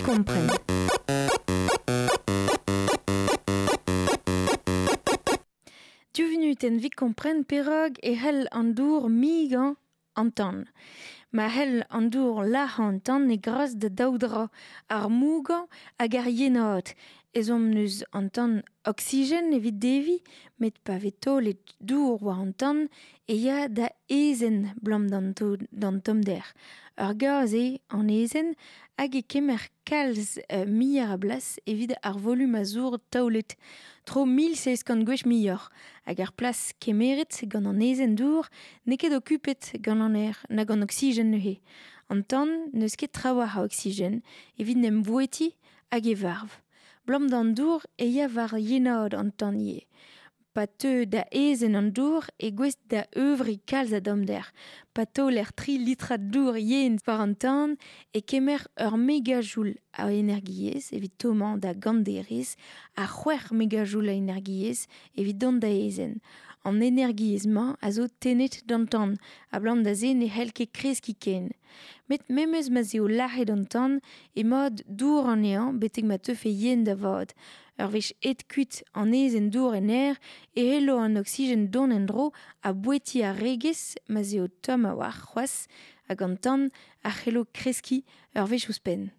Kompren. Div vunutenn evit kompren perak e c'hell an dour migañ an tan. Ma c'hell an dour lazhañ an tan e gras da daou dra, ar mougañ hag ar yenaat. Ezhomm 'neus an tan oksigen evit deviñ, met pa vez taolet dour war an tan e ya da aezhenn 'blam d'an tommder. Ur gaz eo an aezhenn hag e kemer kalz muioc'h a blas evit ar volum a zour taolet. Tro 1700 gwech muioc'h. Hag ar plas kemeret gant an aezhenn dour n'eo ket okupet gant an aer nag an oksigen neuze. An tan n'eus ket trawalc'h a oksigen evit 'n em vouetiñ hag e varv. 'Blam d'an dour e ya war yenaat an tan ivez. Pa teu da aezhenn an dour e gouest da euvriñ kalz a dommder. Pa taoler 3 litrad dour yen war an tan e kemer ur megajoul a energiezh evit tommañ da gant derez ha 6 megajoul a energiezh evit dont da aezhenn. An energiezh-mañ a zo tennet d'an tan, abalamour da se ne c'hell ket kreskiñ ken. Met memes ma 'z eo lazhet an tan emañ dour anezhañ betek ma teufe yen da vat. Ur wech aet kuit an aezhenn dour en aer e c'hello an oksigen dont en-dro ha bouetiñ ar regez ma 'z eo tomm a-walc'h c'hoazh hag an tan a c'hello kreskiñ ur wech ouzhpenn.